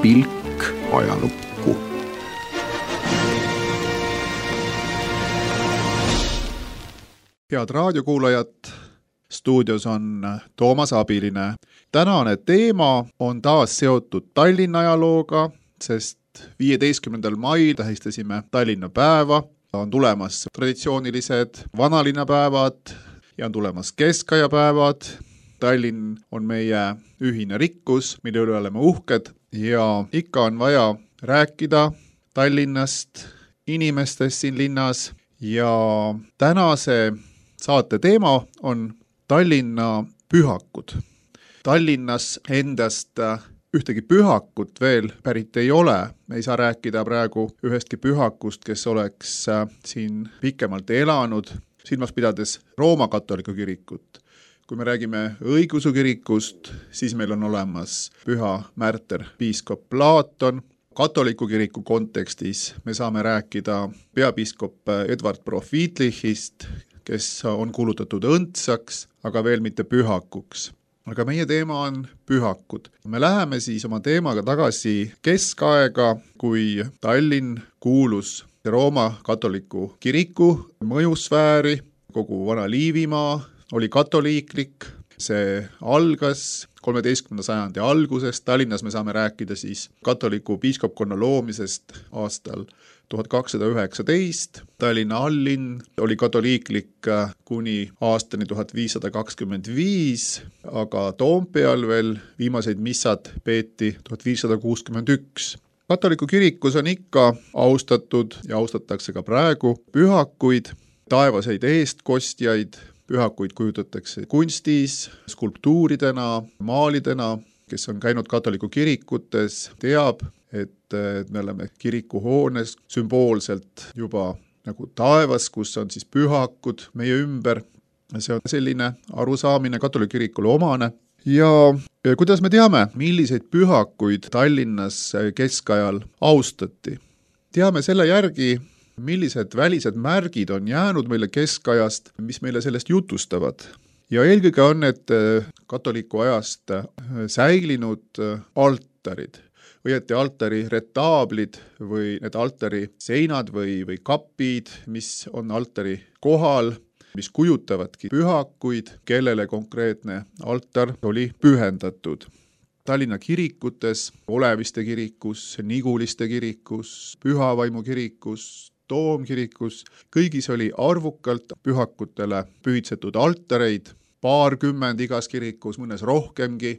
pilk ajalukku. Head raadiokuulajad, stuudios on Toomas Abiline. Tänane teema on taas seotud Tallinna ajalooga, sest 15. mail tähistasime Tallinna päeva. On tulemas traditsioonilised vanalinnapäevad ja on tulemas keskajapäevad. Tallinn on meie ühine rikkus, mille üle oleme uhked ja ikka on vaja rääkida Tallinnast, inimestest siin linnas ja tänase saate teema on Tallinna pühakud. Tallinnas endast ühtegi pühakut veel pärit ei ole. Me ei saa rääkida praegu ühestki pühakust, kes oleks siin pikemalt elanud, silmas pidades Rooma katoliku kirikut. Kui me räägime õigeusu kirikust, siis meil on olemas püha märter piiskop Platon. Katoliku kiriku kontekstis me saame rääkida peapiiskop Edward Profitlichist, kes on kuulutatud õndsaks, aga veel mitte pühakuks. Aga meie teema on pühakud. Me läheme siis oma teemaga tagasi keskaega, kui Tallinn kuulus Rooma katoliku kiriku mõjusfääri, kogu vana Liivimaa oli katoliiklik. See algas 13. sajandi alguses. Tallinnas me saame rääkida siis katoliku piiskopkonna loomisest aastal 1219. Tallinna allinn oli katoliiklik kuni aastani 1525, aga Toompeal veel viimaseid missad peeti 1561. Katoliku kirikus on ikka austatud ja austatakse ka praegu pühakuid, taevaseid eestkostjaid. Pühakuid kujutatakse kunstis, skulptuuridena, maalidena. Kes on käinud katoliku kirikutes, teab, et me oleme kirikuhoones sümboolselt juba nagu taevas, kus on siis pühakud meie ümber. See on selline arusaamine katoliku kirikule omane. Ja kuidas me teame, milliseid pühakuid Tallinnas keskajal austati? Teame selle järgi, millised välised märgid on jäänud meile keskajast, mis meile sellest jutustavad. Ja eelkõige on need katoliku ajast säilinud altarid, õieti altari retaablid või need altari seinad või kapid, mis on altari kohal, mis kujutavadki pühakuid, kellele konkreetne altar oli pühendatud. Tallinna kirikutes, Oleviste kirikus, Niguliste kirikus, Pühavaimu kirikus, Toomkirikus, kõigis oli arvukalt pühakutele pühitsetud altareid, paarkümmend igas kirikus, mõnes rohkemgi.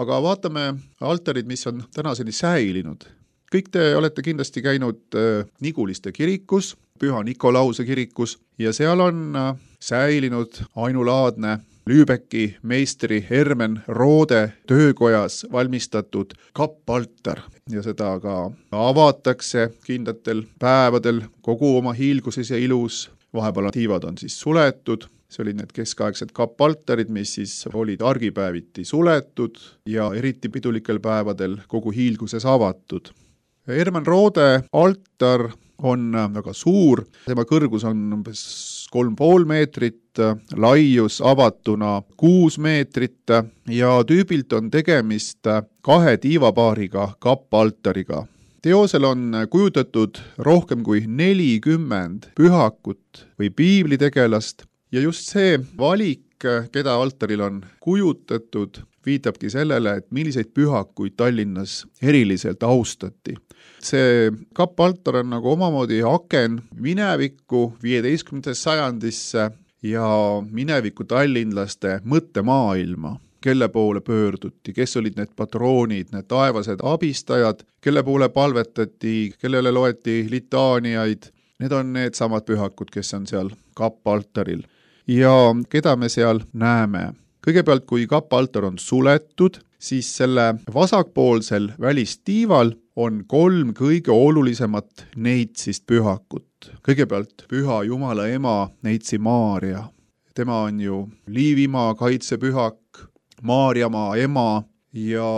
Aga vaatame altarid, mis on tänaseni säilinud. Kõik te olete kindlasti käinud Niguliste kirikus, Püha Nikolause kirikus ja seal on säilinud ainulaadne Lübecki meistri Hermen Roode töökojas valmistatud kappaltar ja seda ka avatakse kindlatel päevadel kogu oma hiilguses ja ilus. Vahepeal tiivad on siis suletud. See olid need keskaegsed kappaltarid, mis siis olid argipäeviti suletud ja eriti pidulikel päevadel kogu hiilguses avatud. Hermen Roode altar on väga suur, tema kõrgus on umbes 3,5 meetrit, laius avatuna 6 meetrit ja tüübilt on tegemist 2 tiivapaariga kappaltariga. Teosel on kujutatud rohkem kui 40 pühakut või piiblitegelast ja just see valik, keda altaril on kujutatud, viitabki sellele, et milliseid pühakuid Tallinnas eriliselt austati. See kappaltar on nagu omamoodi aken minevikku 15. sajandisse ja mineviku tallinlaste mõttemaailma, kelle poole pöörduti, kes olid need patroonid, need taevased abistajad, kelle poole palvetati, kellele loeti litaaniaid. Need on need samad pühakud, kes on seal kappaltaril. Ja keda me seal näeme? Kõigepealt, kui kappaltar on suletud, siis selle vasakpoolsel välistiival on 3 kõige olulisemat neitsist pühakut. Kõigepealt Püha Jumala ema neitsi Maaria. Tema on ju Liivimaa kaitsepühak, Maarjamaa ema ja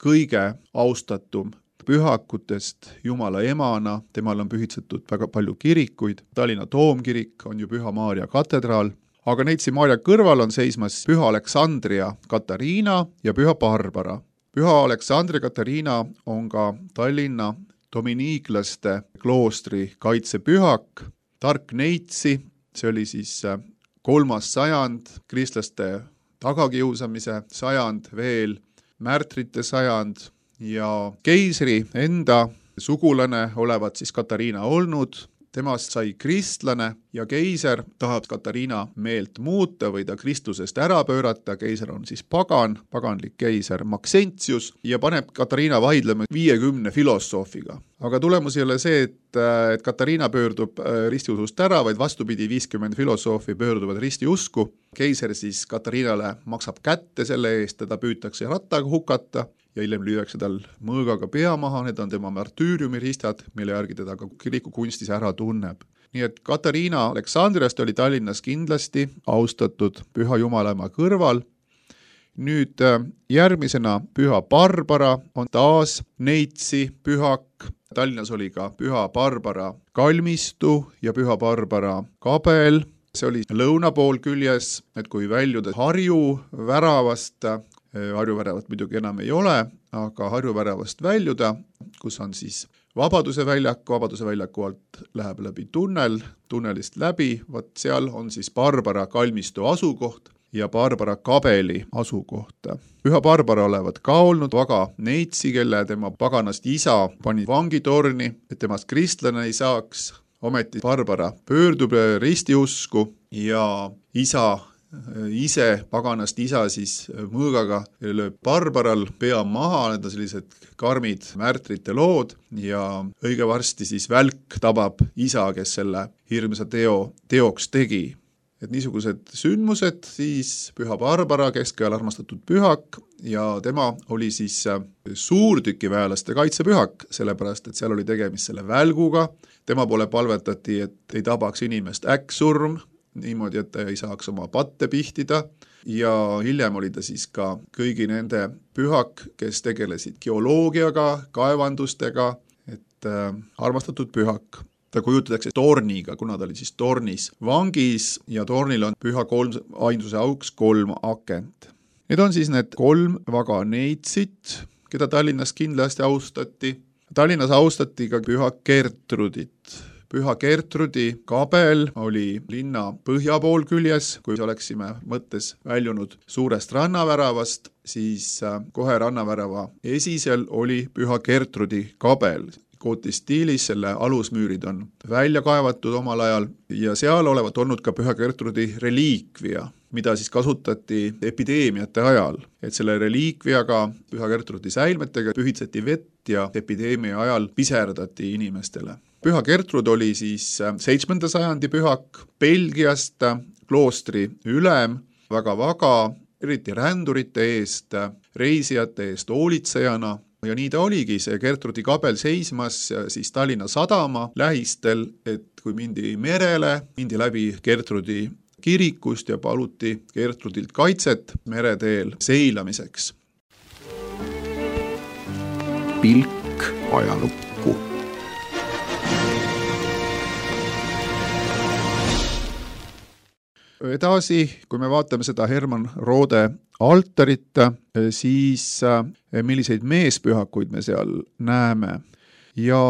kõige austatum pühakutest Jumala emana. Temal on pühitsetud väga palju kirikuid. Tallinna Toomkirik on ju Püha Maaria katedraal. Aga neitsi Maaria kõrval on seismas Püha Aleksandria Katariina ja Püha Barbara. Püha Aleksandr ja Katariina on ka Tallinna dominiiklaste kloostri kaitsepühak. Tark neitsi, see oli siis 3. sajand, kristlaste tagakiusamise sajand veel, märtrite sajand ja keisri enda sugulane olevat siis Katariina olnud. Temast sai kristlane ja keiser tahab Katariina meelt muuta või ta Kristusest ära pöörata. Keiser on siis paganlik keiser Maxentius ja paneb Katariina vaidlema 50 filosoofiga. Aga tulemus ei ole see, et Katariina pöördub ristiusust ära, vaid vastupidi 50 filosoofi pöörduvad ristiusku. Keiser siis Katariinale maksab kätte selle eest, teda püütakse rattaga hukata ja hiljem lüüakse tal mõõgaga pea maha, need on tema martüüriumiristad, mille järgi teda ka kirikukunstis ära tunneb. Nii et Katariina Aleksandriast oli Tallinnas kindlasti austatud püha Jumalaema kõrval. Nüüd järgmisena püha Barbara on taas neitsi pühak. Tallinnas oli ka püha Barbara kalmistu ja püha Barbara kabel. See oli lõuna pool küljes, et kui väljuda Harju väravast, Harju väravat muidugi enam ei ole, aga Harju väravast väljuda, kus on siis Vabaduse väljaku alt läheb läbi tunnelist läbi, seal on siis Barbara kalmistu asukoht ja Barbara kabeli asukoht. Püha Barbara olevat ka olnud väga neitsi, kelle tema paganast isa pani vangitorni, et temast kristlane ei saaks. Ometi Barbara pöördub ristiusku ja ise, paganast isa siis mõõgaga lööb Barbaral pea maha, need on sellised karmid märtrite lood ja õige varsti siis välk tabab isa, kes selle hirmsa teoks tegi. Et niisugused sündmused siis püha Barbara, keskajal armastatud pühak ja tema oli siis suurtükiväelaste kaitsepühak, sellepärast et seal oli tegemist selle välguga. Tema poole palvetati, et ei tabaks inimest äkksurm, niimoodi, et ta ei saaks oma patte pihtida ja hiljem oli ta siis ka kõigi nende pühak, kes tegelesid geoloogiaga, kaevandustega, et armastatud pühak. Ta kujutatakse torniga, kuna ta oli siis tornis vangis ja tornil on püha ainsuse auks 3 akent. Need on siis need 3 väga neitsit, keda Tallinnas kindlasti austati. Tallinnas austati ka püha Gertrudit. Püha Gertrudi kabel oli linna põhja pool küljes, kui oleksime mõttes väljunud suurest rannaväravast, siis kohe rannavärava esisel oli püha Gertrudi kabel. Gootistiilis selle alusmüürid on välja kaevatud omal ajal ja seal olevat olnud ka püha Gertrudi reliikvia, mida siis kasutati epideemiate ajal. Et selle reliikviaga püha Gertrudi säilmetega pühitseti vett ja epideemia ajal piserdati inimestele. Püha Gertrud oli siis 7. sajandi pühak, Belgiast kloostri ülem, väga, eriti rändurite eest, reisijate eest hoolitsejana. Ja nii ta oligi, see Gertrudi kabel seismas siis Tallinna sadama lähistel, et kui mindi merele, mindi läbi Gertrudi kirikust ja paluti Gertrudilt kaitset mereteel seilamiseks. Pilk ajalukku. Edasi, kui me vaatame seda Hermann Rode altarit, siis milliseid meespühakuid me seal näeme. Ja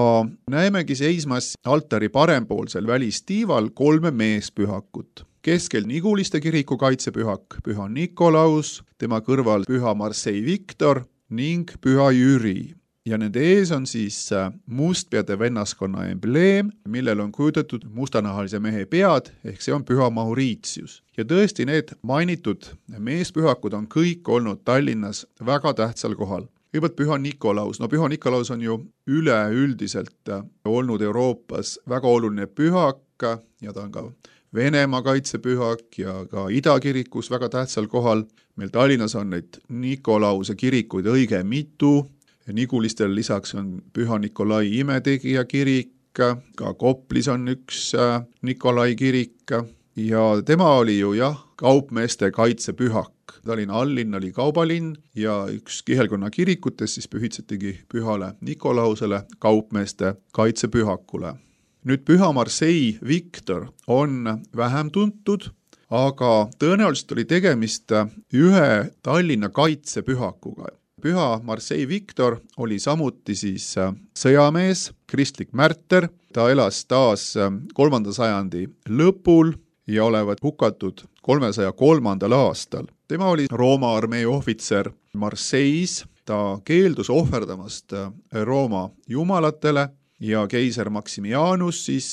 näemegi seismas altari parempoolsel välistiival 3 meespühakut. Keskel Niguliste kiriku kaitsepühak, püha Nikolaus, tema kõrval püha Marseille Victor ning püha Jüri. Ja nende ees on siis mustpeade vennaskonna embleem, millel on kujutatud mustanahalise mehe pead, ehk see on püha Mauritius. Ja tõesti need mainitud meespühakud on kõik olnud Tallinnas väga tähtsal kohal. Kõigepealt püha Nikolaus. No püha Nikolaus on ju üleüldiselt olnud Euroopas väga oluline pühak ja ta on ka Venemaa kaitsepühak ja ka Idakirikus väga tähtsal kohal. Meil Tallinnas on neid Nikolause kirikuid õige mitu. Nigulistel lisaks on püha Nikolai imetegija kirik, ka Koplis on üks Nikolai kirik ja tema oli ju kaupmeeste kaitsepühak. Tallinna allinn oli kaubalinn ja üks kihelkonna kirikutes siis pühitsetigi pühale Nikolausele kaupmeeste kaitsepühakule. Nüüd püha Marseille Victor on vähem tuntud, aga tõenäoliselt oli tegemist ühe Tallinna kaitsepühakuga. püha Marseille Victor oli samuti siis sõjamees, kristlik märter, ta elas taas 3. sajandi lõpul ja olevat hukatud 303. aastal. Tema oli Rooma armee ohvitser Marseilles, ta keeldus ohverdamast Rooma jumalatele ja keiser Maximianus siis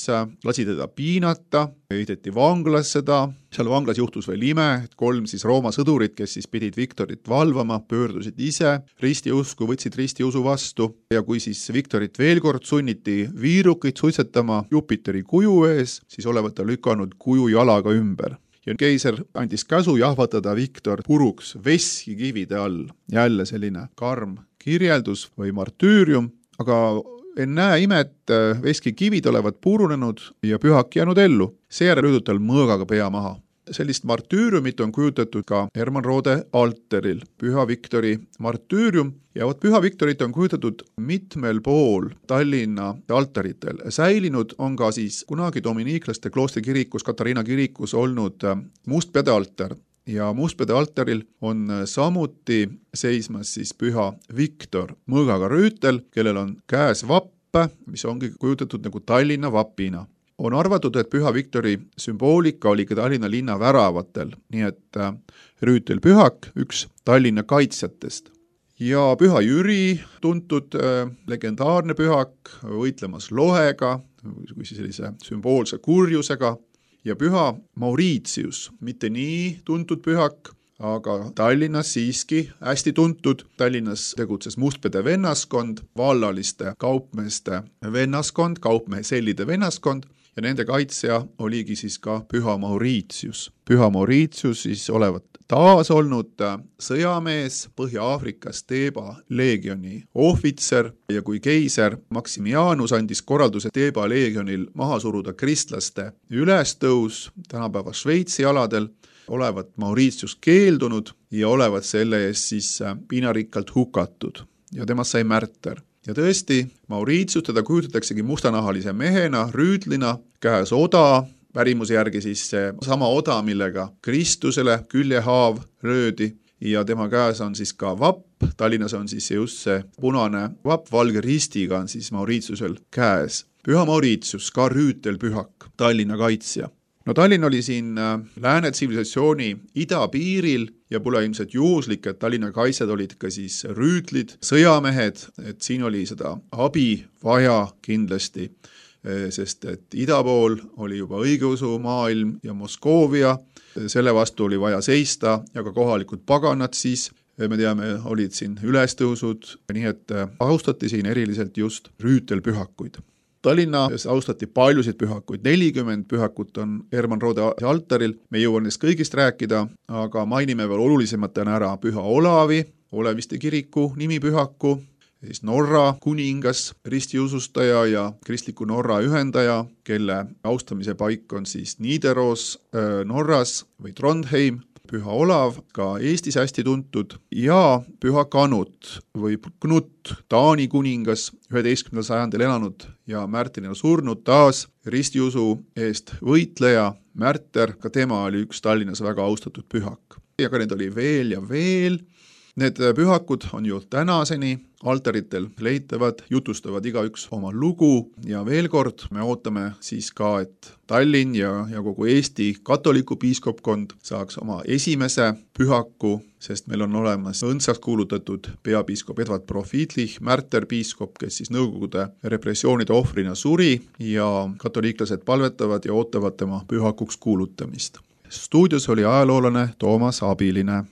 lasi teda piinata, heideti vanglasse ta. Seal vanglas juhtus veel ime, et 3 siis Rooma sõdurit, kes siis pidid Victorit valvama, pöördusid ise ristiusku, võtsid ristiusu vastu ja kui siis Victorit veel kord sunniti viirukit suitsetama Jupiteri kuju ees, siis olevat ta lükanud kuju jalaga ümber. Ja keiser andis käsu jahvatada Victor puruks veskikivide all. Jälle selline karm kirjeldus või martüürium, aga ennäe imet, veskikivid olevat purunenud ja pühak jäänud ellu. Seejärel löödud tal mõõgaga pea maha. Sellist martüüriumit on kujutatud ka Hermann Rode alteril, püha Victori martüürium. Ja püha Victorit on kujutatud mitmel pool Tallinna altaritel. Säilinud on ka siis kunagi dominiiklaste kloostri kirikus, Katariina kirikus olnud mustpeade altar. Ja mustpeade altaril on samuti seismas siis püha Victor, mõõgaga rüütel, kellel on käes vapp, mis ongi kujutatud nagu Tallinna vapina. On arvatud, et püha Victori sümboolika oli ka Tallinna linna väravatel, nii et rüütel pühak, üks Tallinna kaitsjatest. Ja püha Jüri, tuntud legendaarne pühak, võitlemas lohega, või sellise sümboolse kurjusega, ja püha Mauritius, mitte nii tuntud pühak, aga Tallinnas siiski hästi tuntud. Tallinnas tegutses mustpeade vennaskond, vallaliste kaupmeeste vennaskond, kaupmehesellide vennaskond, ja nende kaitsja oligi siis ka püha Mauritius. Püha Mauritius siis olevat taas olnud sõjamees, Põhja-Aafrikas Teeba leegioni ohvitser ja kui keiser Maximianus andis korralduse Teeba leegionil maha suruda kristlaste ülestõus tänapäeva Šveitsi aladel, olevat Mauritius keeldunud ja olevat selle eest siis piinarikkalt hukatud ja temast sai märter. Ja tõesti, Mauritius teda kujutataksegi mustanahalise mehena, rüütlina, käes oda, pärimuse järgi siis see sama oda, millega Kristusele küljehaav löödi ja tema käes on siis ka vapp. Tallinnas on siis just see punane vapp valge ristiga on siis Mauritiusel käes. Püha Mauritius, ka rüütelpühak, Tallinna kaitsja. No Tallinn oli siin lääne tsivilisatsiooni idapiiril ja pole ilmselt juhuslik, et Tallinna kaitsjad olid ka siis rüütlid, sõjamehed, et siin oli seda abi vaja kindlasti, sest et ida pool oli juba õigeusu maailm ja Moskoovia, selle vastu oli vaja seista ja ka kohalikud paganad siis, me teame, olid siin ülestõusud, nii et austati siin eriliselt just rüütelpühakuid. Tallinnas austati paljusid pühakuid, 40 pühakut on Hermann Rode altaril, me ei jõua nendest kõigist rääkida, aga mainime veel olulisematena ära püha Olavi, Oleviste kiriku nimipühaku, siis Norra kuningas, ristiusustaja ja kristliku Norra ühendaja, kelle austamise paik on siis Nidaros Norras või Trondheim, püha Olav, ka Eestis hästi tuntud, ja püha Kanut või Knut, Taani kuningas, 11. sajandil elanud ja märtrina surnud, taas ristiusu eest võitleja, märter, ka tema oli üks Tallinnas väga austatud pühak. Ja ka need oli veel ja veel. Need pühakud on ju tänaseni altaritel leitavad, jutustavad igaüks oma lugu ja veel kord me ootame siis ka, et Tallinn ja kogu Eesti katoliku piiskopkond saaks oma esimese pühaku, sest meil on olemas õndsaks kuulutatud peapiiskop Edward Profitlich, märterpiiskop, kes siis Nõukogude repressioonide ohvrina suri ja katoliiklased palvetavad ja ootavad tema pühakuks kuulutamist. Stuudios oli ajaloolane Toomas Abiline.